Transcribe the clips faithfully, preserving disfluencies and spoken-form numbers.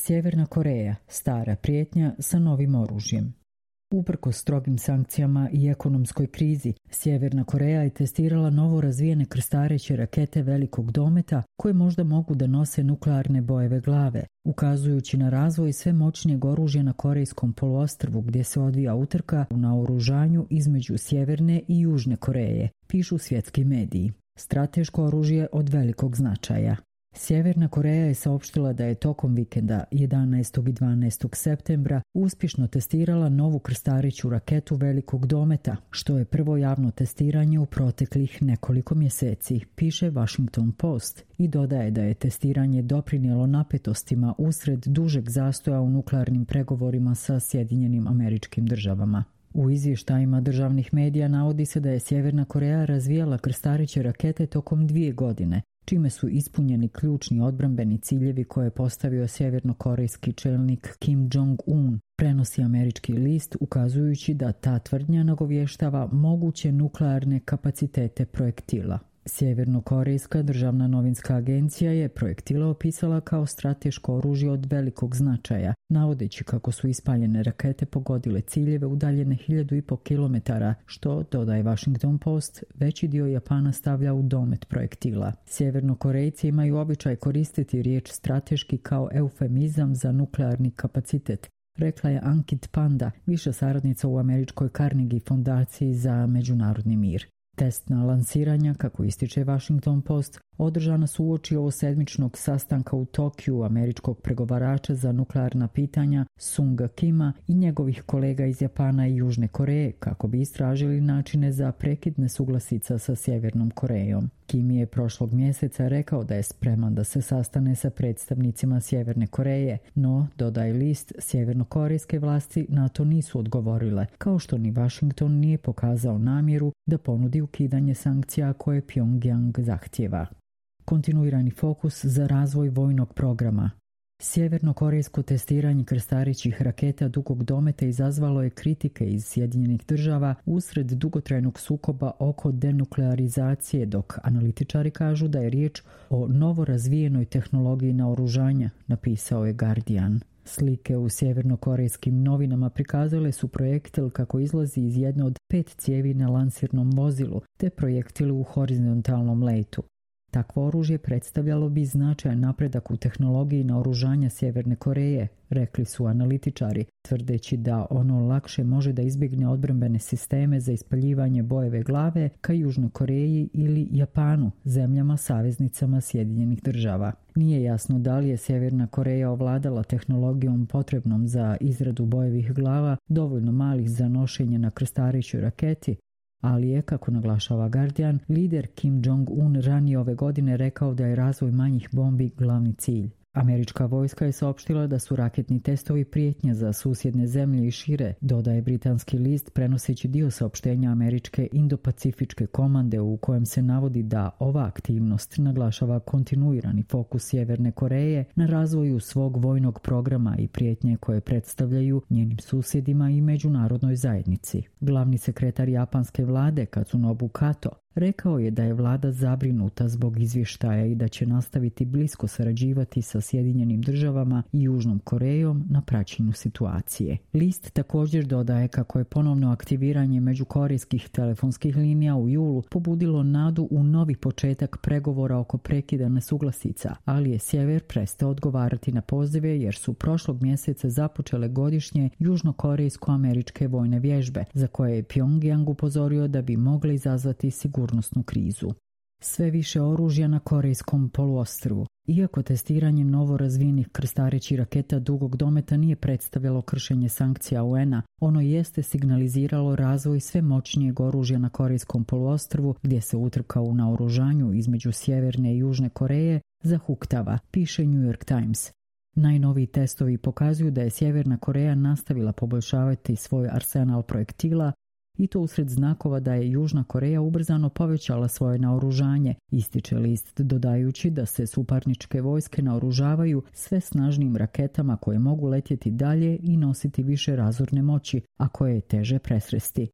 Sjeverna Koreja, stara prijetnja sa novim oružjem. Uprkos strogim sankcijama i ekonomskoj krizi, Sjeverna Koreja je testirala novo razvijene krstareće rakete velikog dometa koje možda mogu da nose nuklearne bojeve glave, ukazujući na razvoj sve moćnijeg oružja na Korejskom poluostrvu gdje se odvija utrka u naoružanju između Sjeverne i Južne Koreje, pišu svjetski mediji. Strateško oružje od velikog značaja. Sjeverna Koreja je saopštila da je tokom vikenda jedanaestog i dvanaestog septembra uspješno testirala novu krstareću raketu velikog dometa, što je prvo javno testiranje u proteklih nekoliko mjeseci, piše Washington Post, i dodaje da je testiranje doprinijelo napetostima usred dužeg zastoja u nuklearnim pregovorima sa Sjedinjenim Američkim Državama. U izvještajima državnih medija navodi se da je Sjeverna Koreja razvijala krstareće rakete tokom dvije godine, čime su ispunjeni ključni odbrambeni ciljevi koje je postavio sjevernokorejski čelnik Kim Jong-un, prenosi američki list, ukazujući da ta tvrdnja nagovještava moguće nuklearne kapacitete projektila. Sjevernokorejska državna novinska agencija je projektile opisala kao strateško oružje od velikog značaja, navodeći kako su ispaljene rakete pogodile ciljeve udaljene hiljadu i po kilometara, što, dodaje Washington Post, veći dio Japana stavlja u domet projektila. Sjevernokorejci imaju običaj koristiti riječ strateški kao eufemizam za nuklearni kapacitet, rekla je Ankit Panda, viša saradnica u američkoj Carnegie fondaciji za međunarodni mir. Testna lansiranja, kako ističe Washington Post, održana su uoči ovosedmičnog sastanka u Tokiju američkog pregovarača za nuklearna pitanja Sunga Kima i njegovih kolega iz Japana i Južne Koreje kako bi istražili načine za prekid nesuglasica sa Sjevernom Korejom. Kim je prošlog mjeseca rekao da je spreman da se sastane sa predstavnicima Sjeverne Koreje, no, dodaje list, sjevernokorejske vlasti na to nisu odgovorile, kao što ni Washington nije pokazao namjeru da ponudi ukidanje sankcija koje Pyongyang zahtijeva. Kontinuirani fokus za razvoj vojnog programa. Sjevernokorejsko testiranje krstarećih raketa dugog dometa izazvalo je kritike iz Sjedinjenih Država usred dugotrajnog sukoba oko denuklearizacije, dok analitičari kažu da je riječ o novo razvijenoj tehnologiji naoružanja, napisao je Guardian. Slike u sjevernokorejskim novinama prikazale su projektil kako izlazi iz jedne od pet cijevi na lansirnom vozilu, te projektil u horizontalnom letu. Takvo oružje predstavljalo bi značajan napredak u tehnologiji naoružanja Sjeverne Koreje, rekli su analitičari, tvrdeći da ono lakše može da izbjegne odbrambene sisteme za ispaljivanje bojeve glave ka Južnoj Koreji ili Japanu, zemljama saveznicama Sjedinjenih Država. Nije jasno da li je Sjeverna Koreja ovladala tehnologijom potrebnom za izradu bojevih glava, dovoljno malih za nošenje na krstarećoj raketi, ali je, kako naglašava Guardian, lider Kim Jong-un ranije ove godine rekao da je razvoj manjih bombi glavni cilj. Američka vojska je saopštila da su raketni testovi prijetnja za susjedne zemlje i šire, dodaje britanski list prenoseći dio saopštenja američke Indo-Pacifičke komande u kojem se navodi da ova aktivnost naglašava kontinuirani fokus Sjeverne Koreje na razvoju svog vojnog programa i prijetnje koje predstavljaju njenim susjedima i međunarodnoj zajednici. Glavni sekretar japanske vlade Katsunobu Kato rekao je da je vlada zabrinuta zbog izvještaja i da će nastaviti blisko sarađivati sa Sjedinjenim Državama i Južnom Korejom na praćenju situacije. List također dodaje kako je ponovno aktiviranje međukorejskih telefonskih linija u julu pobudilo nadu u novi početak pregovora oko prekida nesuglasica, ali je sjever prestao odgovarati na pozive jer su prošlog mjeseca započele godišnje južnokorejsko-američke vojne vježbe, za koje je Pyongyang upozorio da bi mogle izazvati sigurnosnu krizu. Sve više oružja na Korejskom poluostrvu. Iako testiranje novo razvijenih krstarećih raketa dugog dometa nije predstavljalo kršenje sankcija U N-a, ono jeste signaliziralo razvoj sve moćnijeg oružja na Korejskom poluostrvu, gdje se utrka u naoružanju između Sjeverne i Južne Koreje zahuktava, piše New York Times. Najnoviji testovi pokazuju da je Sjeverna Koreja nastavila poboljšavati svoj arsenal projektila, i to usred znakova da je Južna Koreja ubrzano povećala svoje naoružanje, ističe list dodajući da se suparničke vojske naoružavaju sve snažnijim raketama koje mogu letjeti dalje i nositi više razorne moći, a koje je teže presresti.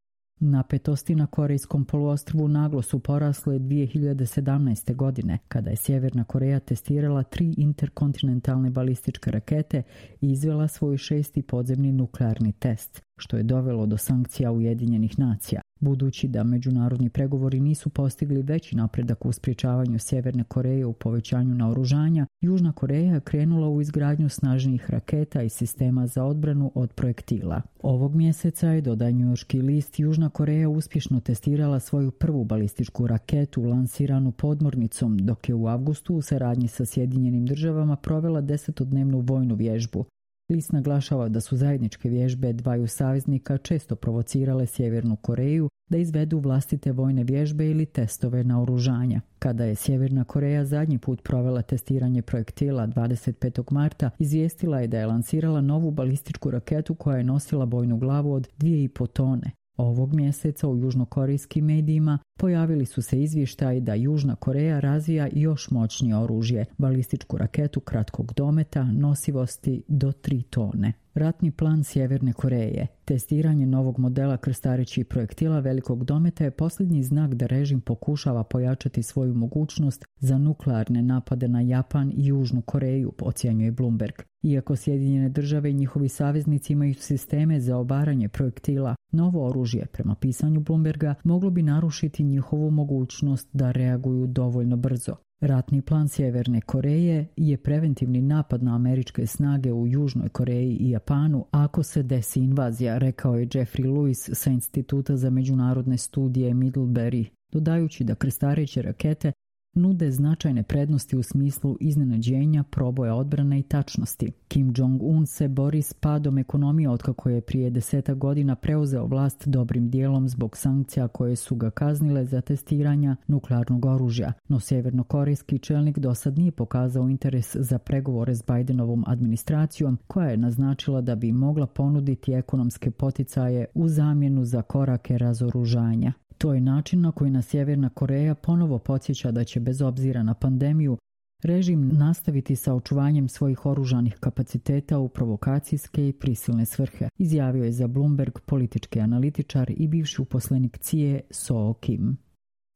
Napetosti na Korejskom poluostrvu naglo su porasle dvije hiljade sedamnaeste. godine, kada je Sjeverna Koreja testirala tri interkontinentalne balističke rakete i izvela svoj šesti podzemni nuklearni test, što je dovelo do sankcija Ujedinjenih nacija. Budući da međunarodni pregovori nisu postigli veći napredak u sprječavanju Sjeverne Koreje u povećanju naoružanja, Južna Koreja je krenula u izgradnju snažnijih raketa i sistema za odbranu od projektila. Ovog mjeseca je, dodaje njujorški list, Južna Koreja uspješno testirala svoju prvu balističku raketu lansiranu podmornicom, dok je u avgustu u saradnji sa Sjedinjenim državama provela desetodnevnu vojnu vježbu. List naglašava da su zajedničke vježbe dvaju saveznika često provocirale Sjevernu Koreju da izvedu vlastite vojne vježbe ili testove naoružanja. Kada je Sjeverna Koreja zadnji put provela testiranje projektila dvadeset petog marta, izvijestila je da je lansirala novu balističku raketu koja je nosila bojnu glavu od dvije i po tone. Ovog mjeseca u južnokorejskim medijima pojavili su se izvještaji da Južna Koreja razvija još moćnije oružje, balističku raketu kratkog dometa nosivosti do tri tone. Ratni plan Sjeverne Koreje. Testiranje novog modela krstarećih projektila velikog dometa je posljednji znak da režim pokušava pojačati svoju mogućnost za nuklearne napade na Japan i Južnu Koreju, ocjenjuje Bloomberg. Iako Sjedinjene države i njihovi saveznici imaju sisteme za obaranje projektila, novo oružje, prema pisanju Bloomberga, moglo bi narušiti njihovu mogućnost da reaguju dovoljno brzo. Ratni plan Sjeverne Koreje je preventivni napad na američke snage u Južnoj Koreji i Japanu ako se desi invazija, rekao je Jeffrey Lewis sa Instituta za međunarodne studije Middlebury, dodajući da krstareće rakete nude značajne prednosti u smislu iznenađenja, proboja odbrane i tačnosti. Kim Jong-un se bori s padom ekonomije otkako je prije desetak godina preuzeo vlast dobrim dijelom zbog sankcija koje su ga kaznile za testiranja nuklearnog oružja, no sjevernokorejski čelnik dosad nije pokazao interes za pregovore s Bidenovom administracijom, koja je naznačila da bi mogla ponuditi ekonomske poticaje u zamjenu za korake razoružanja. To je način na koji nas Sjeverna Koreja ponovo podsjeća da će bez obzira na pandemiju režim nastaviti sa očuvanjem svojih oružanih kapaciteta u provokacijske i prisilne svrhe, izjavio je za Bloomberg politički analitičar i bivši uposlenik C I E Soo Kim.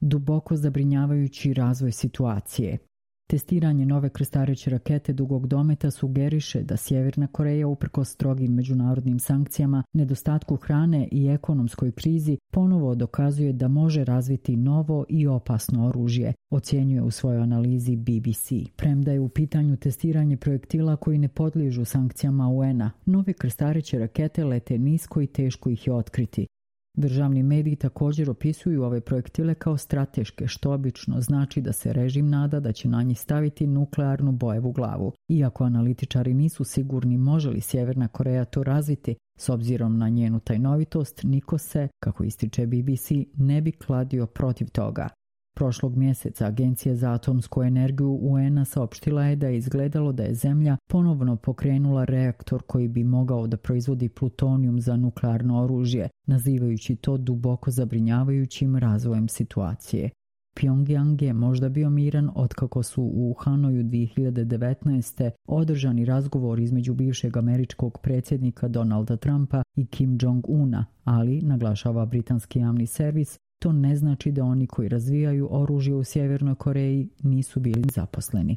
Duboko zabrinjavajući razvoj situacije. Testiranje nove krstareće rakete dugog dometa sugeriše da Sjeverna Koreja uprkos strogim međunarodnim sankcijama, nedostatku hrane i ekonomskoj krizi ponovo dokazuje da može razviti novo i opasno oružje, ocjenjuje u svojoj analizi B B C. Premda je u pitanju testiranje projektila koji ne podliježu sankcijama U N-a, nove krstareće rakete lete nisko i teško ih je otkriti. Državni mediji također opisuju ove projektile kao strateške, što obično znači da se režim nada da će na njih staviti nuklearnu bojevu glavu. Iako analitičari nisu sigurni može li Sjeverna Koreja to razviti, s obzirom na njenu tajnovitost, niko se, kako ističe B B C, ne bi kladio protiv toga. Prošlog mjeseca Agencija za atomsku energiju U N-a saopštila je da je izgledalo da je Zemlja ponovno pokrenula reaktor koji bi mogao da proizvodi plutonijum za nuklearno oružje, nazivajući to duboko zabrinjavajućim razvojem situacije. Pyongyang je možda bio miran otkako su u Hanoju dvije hiljade devetnaeste. održani razgovor između bivšeg američkog predsjednika Donalda Trumpa i Kim Jong-una, ali, naglašava britanski javni servis, to ne znači da oni koji razvijaju oružje u Sjevernoj Koreji nisu bili zaposleni.